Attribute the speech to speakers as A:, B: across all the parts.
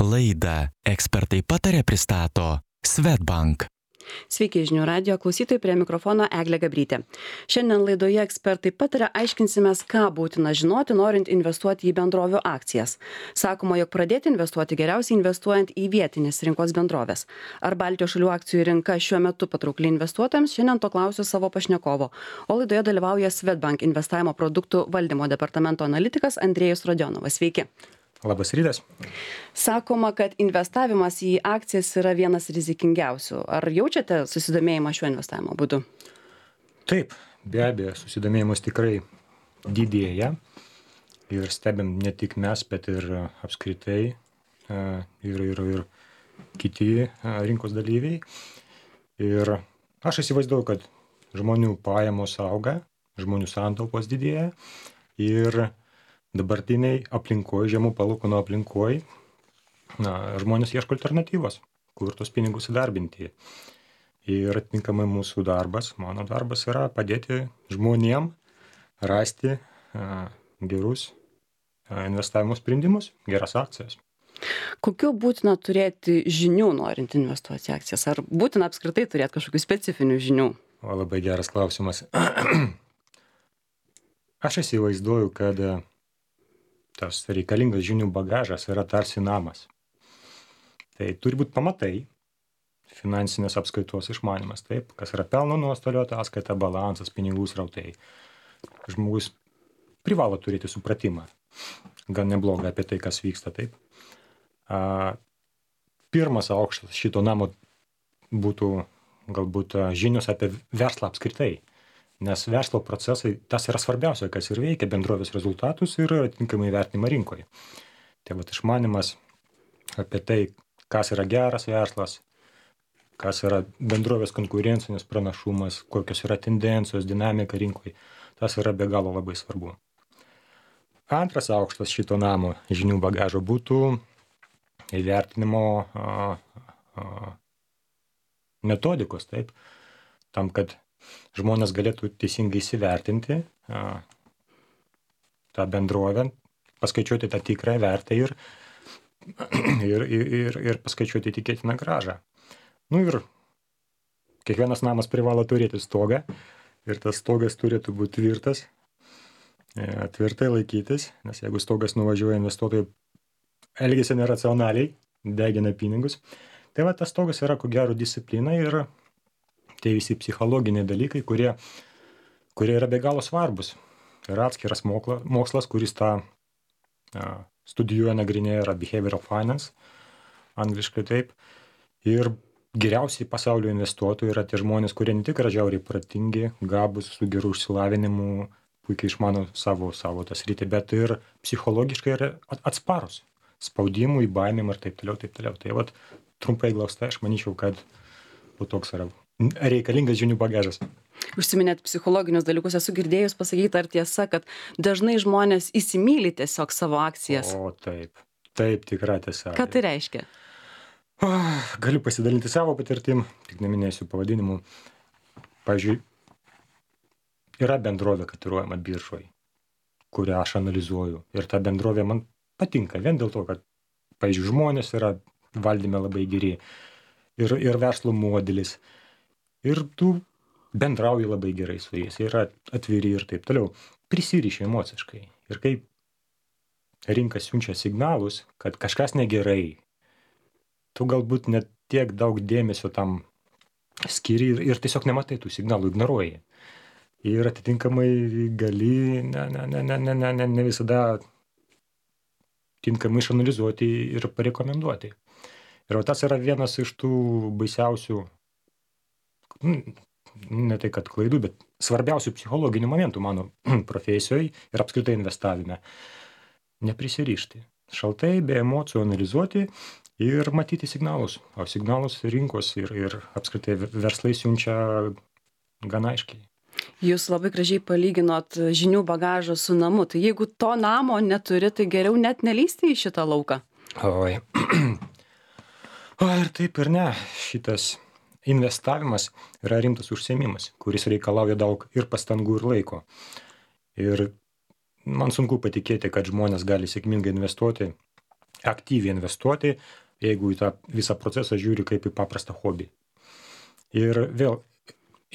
A: Laidą Ekspertai patarė pristato Swedbank.
B: Sveiki, žinių radijo klausytojai, prie mikrofono Eglė Gabrytė. Šiandien laidoje Ekspertai pataria aiškinsimės, ką būtina žinoti, norint investuoti į bendrovių akcijas. Sakoma, jog pradėti investuoti geriausiai investuojant į vietinės rinkos bendrovės. Ar Baltijos šalių akcijų rinka šiuo metu patraukli investuotojams? Šiandien to klausiu savo pašnekovo. O laidoje dalyvauja Swedbank investavimo produktų valdymo departamento analitikas Andrėjus Rodionovas. Sveiki.
C: Labas rytas.
B: Sakoma, kad investavimas į akcijas yra vienas rizikingiausių. Ar jaučiate susidomėjimą šiuo investavimo būdu?
C: Taip, be abejo, susidomėjimas tikrai didėja ir stebim ne tik mes, bet ir apskritai ir kiti rinkos dalyviai. Ir aš įsivaizduoju, kad žmonių pajamos auga, žmonių santaupos didėja ir dabartiniai aplinkoje, žemų palūkanų aplinkoje, žmonės ieško alternatyvos, kur tos pinigus įdarbinti. Ir atitinkamai mūsų darbas, mano darbas yra padėti žmonėm rasti gerus investavimo sprendimus, geras akcijas.
B: Kokių būtina turėti žinių, norint investuoti į akcijas? Ar būtina apskritai turėti kažkokių specifinių žinių?
C: Labai geras klausimas. Aš įsivaizduoju, kad tas reikalingas žinių bagažas yra tarsi namas. Tai turi būti pamatai, finansinės apskaitos išmanymas, taip, kas yra pelno nuostolio ataskaita, balansas, pinigų srautai. Žmogus privalo turėti supratimą, gan neblogą apie tai, kas vyksta, taip. Pirmas aukštas šito namo būtų galbūt žinios apie verslą apskritai. Nes verslo procesai, tas yra svarbiausia, kas ir veikia bendrovės rezultatus ir atitinkamai vertinimą rinkoje. Tai vat išmanimas apie tai, kas yra geras verslas, kas yra bendrovės konkurencinis pranašumas, kokios yra tendencijos, dinamika rinkoje, tas yra be galo labai svarbu. Antras aukštas šito namo žinių bagažo būtų įvertinimo metodikos, taip, tam, kad žmonės galėtų teisingai įsivertinti tą bendrovę, paskaičiuoti tą tikrą vertę ir paskaičiuoti tikėtiną grąžą. Nu ir kiekvienas namas privalo turėti stogą ir tas stogas turėtų būti tvirtas, tvirtai laikytis, nes jeigu stogas nuvažiuoja, investuotojai elgiasi neracionaliai, degina pinigus. Tai va, tas stogas yra ko gero disciplina ir tai visi psichologiniai dalykai, kurie yra be galo svarbus. Yra atskiras mokslas, kuris tą studijuoja, nagrinėja, yra behavioral finance, angliškai taip. Ir geriausiai pasaulio investuotojai yra tie žmonės, kurie ne tik yra žiauriai protingi, gabūs, su geru išsilavinimu, puikiai išmano savo tą sritį, bet ir psichologiškai yra atsparus spaudimui, baimėm ir taip toliau, taip toliau. Tai vat, trumpai glaustai, aš manyčiau, kad toks yra reikalingas žinių bagažas.
B: Užsiminėt psichologinius dalykus, esu girdėjus pasakyti, ar tiesa, kad dažnai žmonės įsimyli tiesiog savo akcijas.
C: O taip, tikra tiesa.
B: Ką tai reiškia?
C: Galiu pasidalinti savo patirtim, tik neminėsiu pavadinimų. Pavyzdžiui, yra bendrovė kotiruojama biržoje, kurią aš analizuoju. Ir ta bendrovė man patinka vien dėl to, kad, pavyzdžiui, žmonės yra valdyme labai geri ir verslo modelis. Ir tu bendrauji labai gerai su jais, yra atviri ir taip toliau. Prisiriši emociškai. Ir kai rinka siunčia signalus, kad kažkas negerai, tu galbūt net tiek daug dėmesio tam skiri ir tiesiog nematai tų signalų, ignoruoji. Ir atitinkamai gali ne visada tinkamai išanalizuoti ir parekomenduoti. Ir tas yra vienas iš tų baisiausių, ne tai kad klaidų, bet svarbiausių psichologinių momentų mano profesijoje ir apskritai investavime. Neprisirišti. Šaltai, be emocijų analizuoti ir matyti signalus. O signalus rinkos ir apskritai verslai siunčia gan aiškiai.
B: Jūs labai gražiai palyginot žinių bagažą su namu. Tai jeigu to namo neturi, tai geriau net nelįsti į šitą lauką.
C: Oi. O ir taip ir ne. Šitas investavimas yra rimtas užsiėmimas, kuris reikalauja daug ir pastangų ir laiko. Ir man sunku patikėti, kad žmonės gali sėkmingai investuoti aktyviai investuoti, jeigu į tą visą procesą žiūri kaip į paprastą hobį. Ir vėl,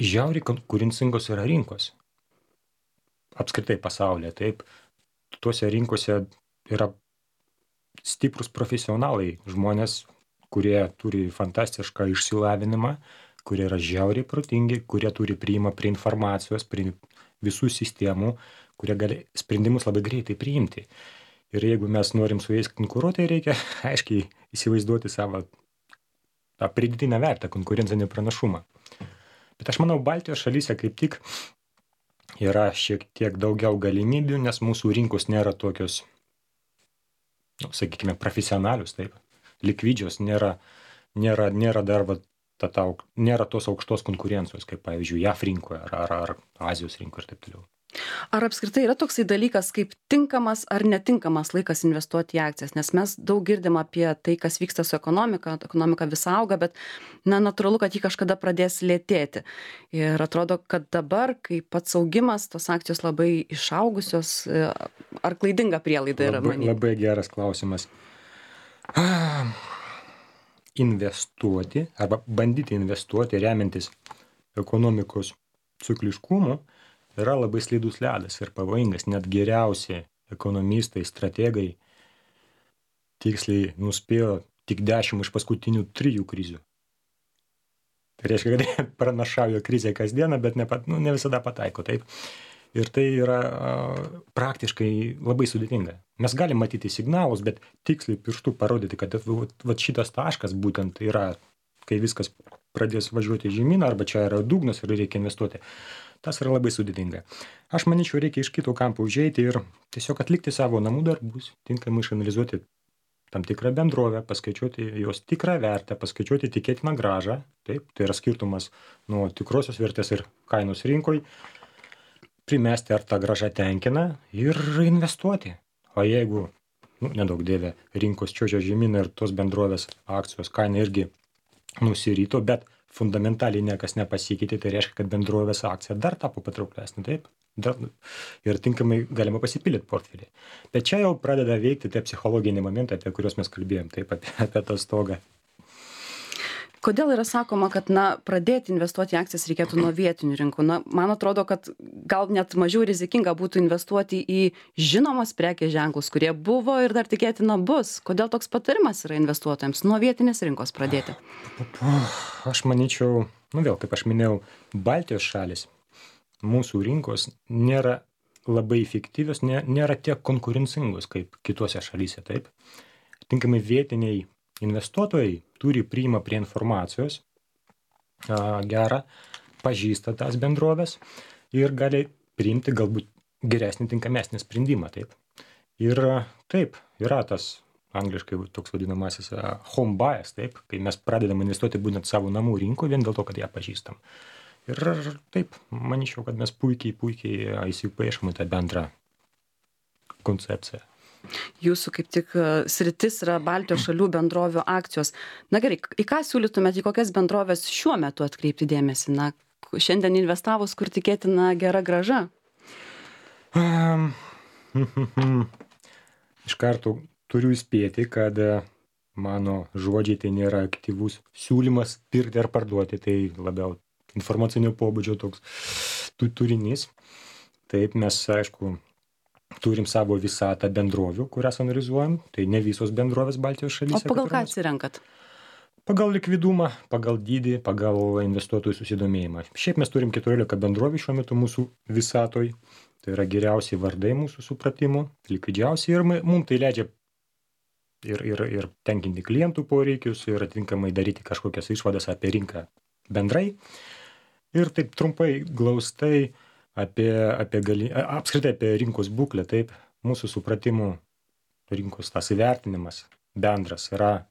C: žiauriai konkurencingos yra rinkos. Apskritai pasaulyje, taip. Tuose rinkose yra stiprus profesionalai, žmonės, kurie turi fantastišką išsilavinimą, kurie yra žiauriai protingi, kurie turi priima prie informacijos, prie visų sistemų, kurie gali sprendimus labai greitai priimti. Ir jeigu mes norim su jais konkuruoti, reikia aiškiai įsivaizduoti savo tą pridėtinę vertę, konkurencinį pranašumą. Bet aš manau, Baltijos šalyse kaip tik yra šiek tiek daugiau galimybių, nes mūsų rinkos nėra tokios, sakykime, profesionalius, taip, likvidžios, nėra dar nėra tos aukštos konkurencijos, kaip pavyzdžiui, JAF rinkoje ar Azijos rinkoje ir taip toliau.
B: Ar apskritai yra toksai dalykas kaip tinkamas ar netinkamas laikas investuoti į akcijas? Nes mes daug girdim apie tai, kas vyksta su ekonomika vis auga, bet natūralu, kad ji kažkada pradės lėtėti. Ir atrodo, kad dabar, kai pats augimas, tos akcijos labai išaugusios, ar klaidinga prielaida yra manyti?
C: Labai geras klausimas. Investuoti arba bandyti investuoti remiantis ekonomikos cikliškumu yra labai slidus ledas ir pavojingas. Net geriausi ekonomistai, strategai tiksliai nuspėjo tik 10 iš paskutinių 3 krizių. Tai reiškia, kad pranašauja krizę kasdieną, bet ne visada pataiko. Taip. Ir tai yra praktiškai labai sudėtinga. Mes galim matyti signalus, bet tiksliai pirštų parodyti, kad šitas taškas būtent yra, kai viskas pradės važiuoti žemyn, arba čia yra dugnas ir reikia investuoti. Tas yra labai sudėtinga. Aš manyčiau, reikia iš kito kampo užeiti ir tiesiog atlikti savo namų darbus, tinkamai išanalizuoti tam tikrą bendrovę, paskaičiuoti jos tikrą vertę, paskaičiuoti tikėtiną grąžą. Taip, tai yra skirtumas nuo tikrosios vertės ir kainos rinkoj. Primesti, ar ta grąža tenkina ir investuoti. O jeigu, nedaug dieve, rinkos čiuožia žemyn ir tos bendrovės akcijos kaina irgi nusirito, bet fundamentaliai niekas nepasikeitė, tai reiškia, kad bendrovės akcija dar tapo patrauklesnė, taip? Ir tinkamai galima pasipildyti portfelį. Bet čia jau pradeda veikti tie psichologiniai momentai, apie kuriuos mes kalbėjom, taip, apie tą stogą.
B: Kodėl yra sakoma, kad pradėti investuoti į akcijas reikėtų nuo vietinių rinkų? Man atrodo, kad gal net mažiau rizikinga būtų investuoti į žinomas prekės ženklus, kurie buvo ir dar tikėtina bus. Kodėl toks patarimas yra investuotojams nuo vietinės rinkos pradėti?
C: Aš manyčiau, vėl, kaip aš minėjau, Baltijos šalis, mūsų rinkos nėra labai efektyvios, nėra tiek konkurencingos kaip kitose šalyse, taip. Tinkamai vietiniai investuotojai turi priima prie informacijos gerą, pažįsta tas bendrovės ir gali priimti galbūt geresnį, tinkamesnį sprendimą. Taip. Ir taip, yra tas angliškai toks vadinamasis home bias, taip, kai mes pradedam investuoti būtent savo namų rinkoje vien dėl to, kad ją pažįstam. Ir taip, manyčiau, kad mes puikiai įsipaišom į tą bendrą koncepciją.
B: Jūsų kaip tik sritis yra Baltijos šalių bendrovių akcijos. Na gerai, į ką siūlytumėte, į kokias bendrovės šiuo metu atkreipti dėmesį? Šiandien investavus, kur tikėtina gera grąža?
C: Iš karto turiu įspėti, kad mano žodžiai tai nėra aktyvus siūlymas pirkti ar parduoti, tai labiau informacinio pobūdžio toks turinys. Taip, mes, aišku, turim savo visatą bendrovių, kurias analizuojam, tai ne visos bendrovės Baltijos šalyse.
B: O pagal ką atsirenkat?
C: Pagal likvidumą, pagal dydį, pagal investuotojų susidomėjimą. Šiaip mes turim 14 bendrovių šiuo metu mūsų visatoj, tai yra geriausiai vardai mūsų supratimu, likvidžiausiai ir mums tai leidžia ir tenkinti klientų poreikius ir atitinkamai daryti kažkokias išvadas apie rinką bendrai. Ir taip trumpai, glaustai, apskritai apie rinkos būklę, taip, mūsų supratimų rinkos tas įvertinimas bendras yra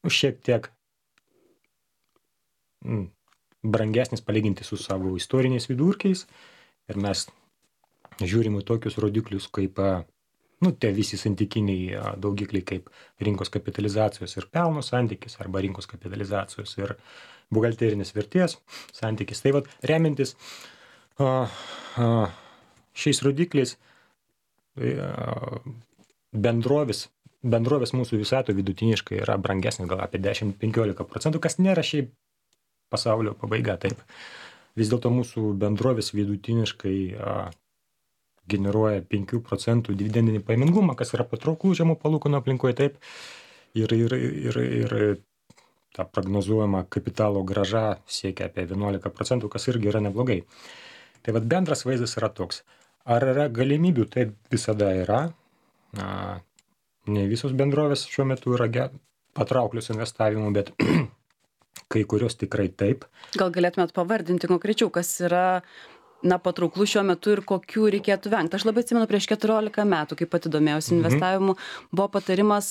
C: šiek tiek brangesnis palyginti su savo istoriniais vidurkiais ir mes žiūrim į tokius rodiklius kaip tie visi santykiniai daugikliai kaip rinkos kapitalizacijos ir pelno santykis arba rinkos kapitalizacijos ir buhalterinės vertės santykis. Tai remiantis šiais rodikliais bendrovės bendrovės mūsų visatoje vidutiniškai yra brangesnės gal apie 10-15%, kas nėra šiaip pasaulio pabaiga, taip. Vis dėlto mūsų bendrovės vidutiniškai generuoja 5% dividendinį paimingumą, kas yra patrauklų žemų palūkanų aplinkoje, taip. Ir ta prognozuojama kapitalo grąža siekia apie 11%, kas irgi yra neblogai. Tai vat bendras vaizdas yra toks. Ar yra galimybių? Taip visada yra. Ne visos bendrovės šiuo metu yra patrauklios investavimų, bet kai kurios tikrai taip.
B: Gal galėtumėt pavardinti konkrečiau, kas yra patrauklų šiuo metu ir kokių reikėtų vengti? Aš labai atsimenu, prieš 14 metų, kai pati domėjausi investavimu, buvo patarimas,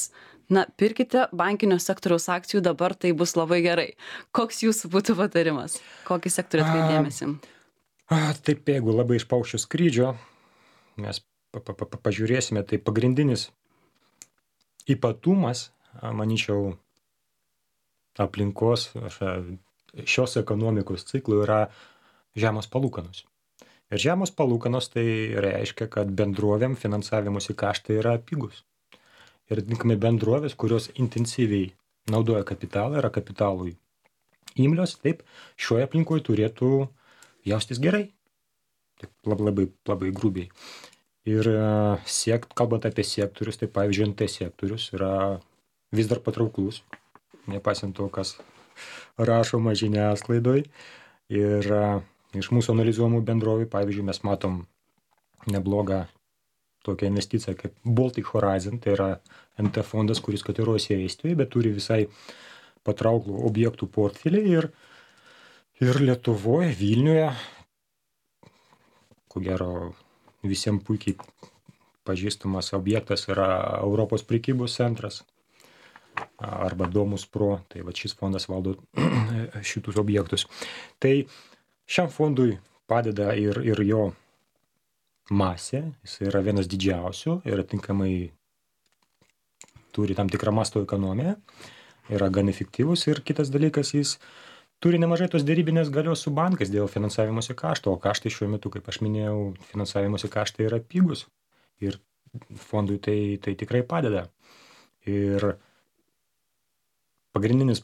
B: pirkite bankinio sektoriaus akcijų, dabar tai bus labai gerai. Koks jūsų būtų patarimas? Kokį sektorių atkreipti dėmesį?
C: Taip, jeigu labai iš paukščio skrydžio, mes pažiūrėsime, tai pagrindinis ypatumas, manyčiau, aplinkos šios ekonomikos ciklų yra žemos palūkanos. Ir žemos palūkanos tai reiškia, kad bendrovėm finansavimuose kaštai yra pigus. Ir atitinkamai bendrovės, kurios intensyviai naudoja kapitalą, yra kapitalui imlios, taip, šioje aplinkoje turėtų jaustis gerai. Taip, labai grubiai. Ir kalbant apie sektorius, tai pavyzdžiui, NT sektorius yra vis dar patrauklus, nepaisant to, kas rašoma žiniasklaidoj. Ir iš mūsų analizuojamų bendrovių, pavyzdžiui, mes matom neblogą tokią investiciją kaip Baltic Horizon, tai yra NT fondas, kuris kotiruojasi Estijoje, bet turi visai patrauklų objektų portfelį ir Lietuvoje, Vilniuje, ko gero visiems puikiai pažįstamas objektas yra Europos prekybos centras arba Domus Pro, tai va šis fondas valdo šitus objektus. Tai šiam fondui padeda ir jo masė, jis yra vienas didžiausių ir atitinkamai turi tam tikrą masto ekonomiją, yra gan efektyvus ir kitas dalykas, jis turi nemažai tos derybinės galios su bankais dėl finansavimosi kašto, o kaštai šiuo metu, kaip aš minėjau, finansavimosi kaštai yra pigus ir fondui tai tikrai padeda. Ir pagrindinis,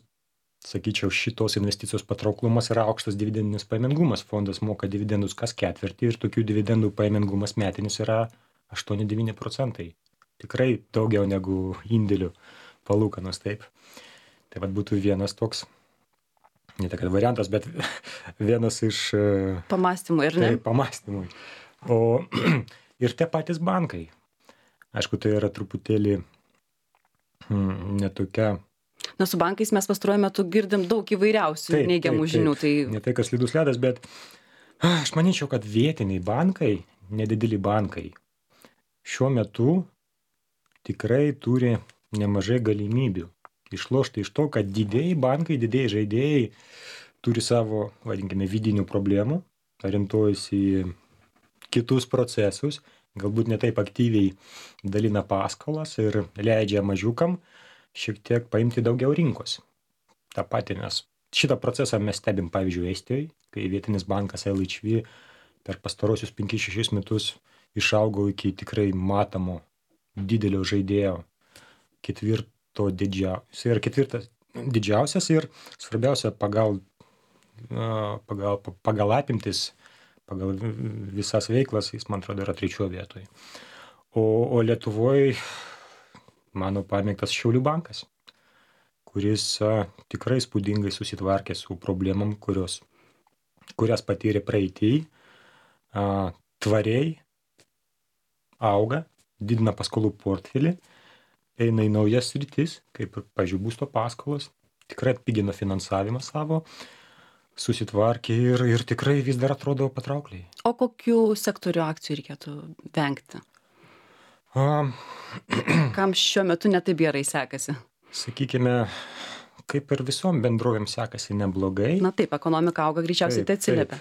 C: sakyčiau, šitos investicijos patrauklumas yra aukštas dividendinis pajamingumas. Fondas moka dividendus kas ketvirtį ir tokių dividendų pajamingumas metinis yra 8-9%. Tikrai daugiau negu indėlių palūkanos, taip. Tai vat būtų vienas toks, ne tai kad variantas, bet vienas iš
B: pamąstymų, ir ne?
C: Tai pamąstymui. O ir tie patys bankai. Aišku, tai yra truputėlį netokia.
B: Su bankais mes pastaruoju metu girdim daug įvairiausių neigiamų žinių. Tai
C: ne tai, kas slidus ledas, bet aš manyčiau, kad vietiniai bankai, nedideli bankai, šiuo metu tikrai turi nemažai galimybių išlošti iš to, kad didieji bankai, didieji žaidėjai turi savo, vadinkime, vidinių problemų, orientuojasi į kitus procesus, galbūt ne taip aktyviai dalina paskolas ir leidžia mažiukam šiek tiek paimti daugiau rinkos. Ta pati, nes šitą procesą mes stebim, pavyzdžiui, Estijoje, kai vietinis bankas LHV per pastarosius 5-6 metus išaugo iki tikrai matomo didelio žaidėjo, ketvirtas didžiausias ir svarbiausia pagal apimtis, pagal visas veiklas, jis, man atrodo, yra 3 vietoje. O Lietuvoje mano pamėgtas Šiaulių bankas, kuris tikrai spūdingai susitvarkė su problemom, kurias patyrė praeitį, tvariai auga, didina paskolų portfelį, eina į naujas sritis, kaip, pavyzdžiui, būsto paskolos, tikrai atpigino finansavimą savo, susitvarkė ir tikrai vis dar atrodo patraukliai.
B: O kokių sektorių akcijų reikėtų vengti? Kam šiuo metu netaip gerai sekasi?
C: Sakykime, kaip ir visom bendrovėm sekasi neblogai.
B: Taip, ekonomika auga, greičiausiai tai atsiliepia.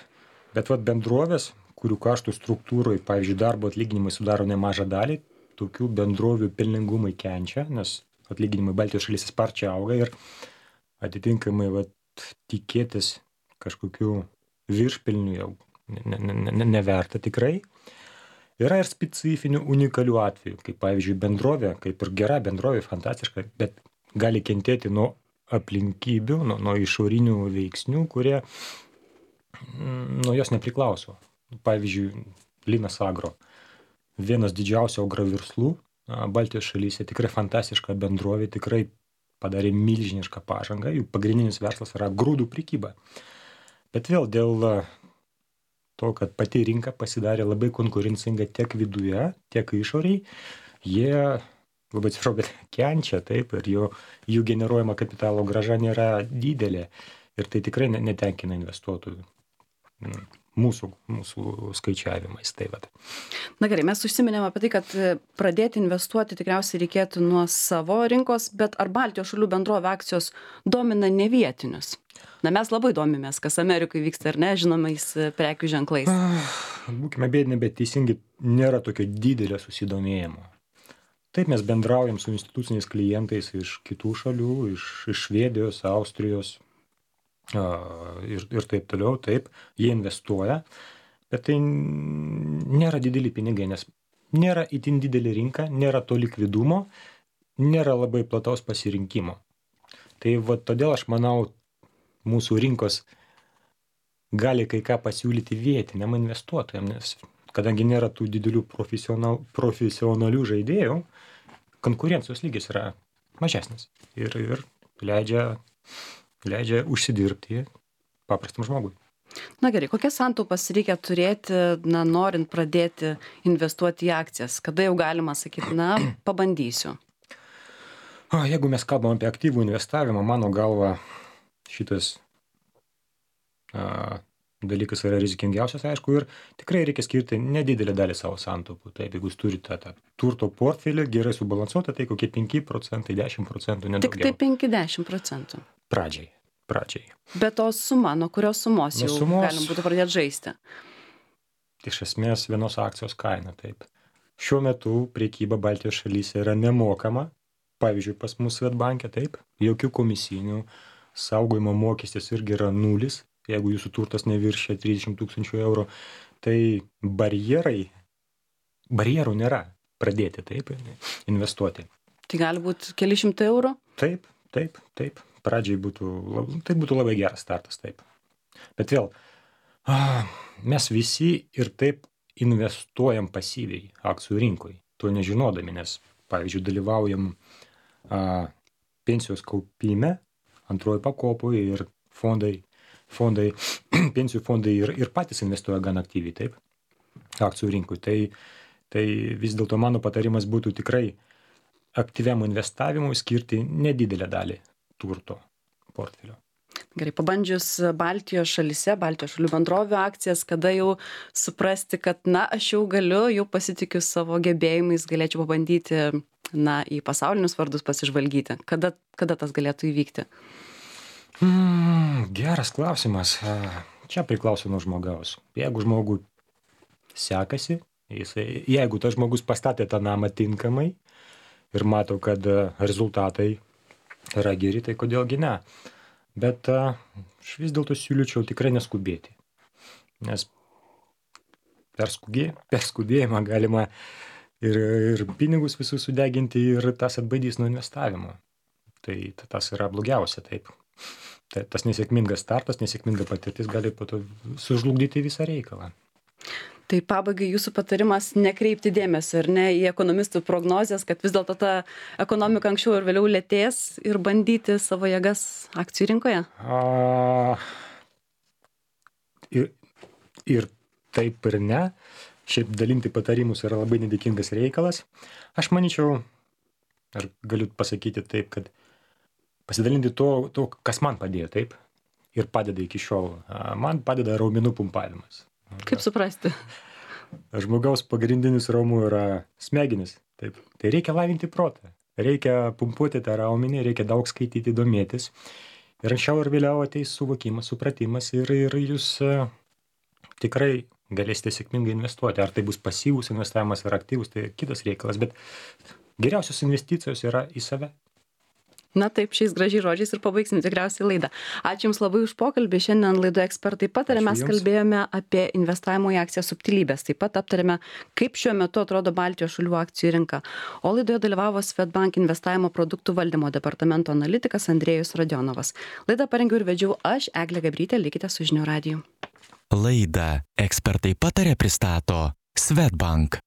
C: Bet bendrovės, kurių kaštų struktūroje, pavyzdžiui, darbo atlyginimai sudaro nemažą dalį, tokių bendrovių pelningumai kenčia, nes atlyginimai Baltijos šalyse sparčiai auga ir atitinkamai tikėtis kažkokių viršpelnių jau neverta tikrai. Yra ir specifinių unikalių atvejų, kaip pavyzdžiui bendrovė, kaip ir gera bendrovė, fantastiška, bet gali kentėti nuo aplinkybių, nuo išorinių veiksnių, kurie nuo jos nepriklauso. Pavyzdžiui, Linas Agro, vienas didžiausių agroverslų Baltijos šalyse, tikrai fantastiška bendrovė, tikrai padarė milžinišką pažangą, jų pagrindinis verslas yra grūdų prekyba. Bet vėl dėl to, kad pati rinka pasidarė labai konkurencinga tiek viduje, tiek išoriai, jie, labai atsiprašau, bet kenčia, taip, ir jų generuojama kapitalo grąža nėra didelė. Ir tai tikrai netenkina investuotojų mūsų skaičiavimais. Tai vat.
B: Na gerai, mes užsiminėm apie tai, kad pradėti investuoti tikriausiai reikėtų nuo savo rinkos, bet ar Baltijos šalių bendrovė akcijos domina ne vietinius? Na, mes labai domimės, kas Amerikoje vyksta ar ne, žinomais prekių ženklais.
C: Būkime bėdini, bet teisingai nėra tokio didelio susidomėjimo. Taip mes bendraujam su instituciniais klientais iš kitų šalių, iš Švedijos, Austrijos ir taip toliau, taip, jie investuoja, bet tai nėra dideli pinigai, nes nėra itin didelė rinka, nėra to likvidumo, nėra labai plataus pasirinkimo. Tai va todėl aš manau, mūsų rinkos gali kai ką pasiūlyti vietiniam investuotojam, nes kadangi nėra tų didelių profesionalių žaidėjų, konkurencijos lygis yra mažesnis ir leidžia užsidirbti paprastam žmogui.
B: Na gerai, kokias santaupas reikia turėti, norint pradėti investuoti į akcijas? Kada jau galima sakyti, pabandysiu?
C: Jeigu mes kalbam apie aktyvų investavimą, mano galva, šitas dalykas yra rizikingiausias, aišku, ir tikrai reikia skirti nedidelę dalį savo santaupų. Taip, jeigu jūs turite tą turto portfelį gerai subalansuotą, tai kokie 5%, 10%, nedaugiau.
B: Tik tai 5-10%?
C: Pradžiai.
B: Bet to suma, nuo kurios sumos jau galim būtų pradėti žaisti?
C: Iš esmės vienos akcijos kaina, taip. Šiuo metu prekyba Baltijos šalyse yra nemokama, pavyzdžiui, pas mus Swedbank'e, taip, jokių komisinių, saugojimo mokestis irgi yra 0, jeigu jūsų turtas neviršia 30 000 eurų, tai barjerų nėra pradėti, taip, investuoti.
B: Tai gali būti keli šimtai eurų?
C: Taip. Pradžiai tai būtų labai geras startas, taip. Bet vėl, mes visi ir taip investuojam pasyviai akcijų rinkoj, to nežinodami, nes, pavyzdžiui, dalyvaujam pensijos kaupime, antroji pakopoje ir pensijų fondai ir patys investuoja gan aktyviai, taip, akcijų rinkoj. Tai vis dėlto mano patarimas būtų tikrai aktyviam investavimui skirti nedidelę dalį turto portfelio.
B: Gerai, pabandžius Baltijos šalyse, Baltijos šalių bendrovių akcijas, kada jau suprasti, kad, aš jau galiu, jau pasitikiu savo gebėjimais, galėčiau pabandyti, į pasaulinius vardus pasižvalgyti. Kada tas galėtų įvykti?
C: Geras klausimas. Čia priklauso nuo žmogaus. Jeigu žmogui sekasi, jeigu tas žmogus pastatė tą namą tinkamai ir mato, kad rezultatai yra geri, tai kodėlgi ne. Bet aš vis dėlto siūlyčiau tikrai neskubėti. Nes per skubėjimą galima ir pinigus visus sudeginti ir tas atbaidys nuo investavimo. Tai tas yra blogiausia, taip. Tas nesėkmingas startas, nesėkminga patirtis gali po to sužlugdyti visą reikalą.
B: Tai pabaigai jūsų patarimas nekreipti dėmesio, ar ne, į ekonomistų prognozes, kad vis dėlto ta ekonomika anksčiau ir vėliau lėtės ir bandyti savo jėgas akcijų rinkoje? Ir taip ir ne. Šiaip dalinti patarimus yra labai nedėkingas reikalas. Aš manyčiau, ar galiu pasakyti taip, kad pasidalinti to, kas man padėjo, taip, ir padeda iki šiol. Man padeda raumenų pumpavimas. Kaip suprasti?
C: Žmogaus pagrindinis raumuo yra smegenis. Taip. Tai reikia lavinti protą. Reikia pumpuoti tą raumenį, reikia daug skaityti, domėtis. Ir anksčiau ir vėliau ateis suvokimas, supratimas ir jūs tikrai galėsite sėkmingai investuoti. Ar tai bus pasyvus investavimas ar aktyvus, tai kitas reikalas. Bet geriausios investicijos yra į save.
B: Na taip, šiais gražiais žodžiais ir pabaigsim tikriausiai laidą. Ačiū Jums labai už pokalbį. Šiandien laidoje Ekspertai pataria mes kalbėjome apie investavimo į akciją subtilybės. Taip pat aptarėme, kaip šiuo metu atrodo Baltijos šalių akcijų rinka. O laidoje dalyvavo Swedbank investavimo produktų valdymo departamento analitikas Andrėjus Radionovas. Laidą parengiau ir vedžiau aš, Eglė Gabrytė, likite su žinių radiju.
A: Laidą Ekspertai pataria pristato Swedbank.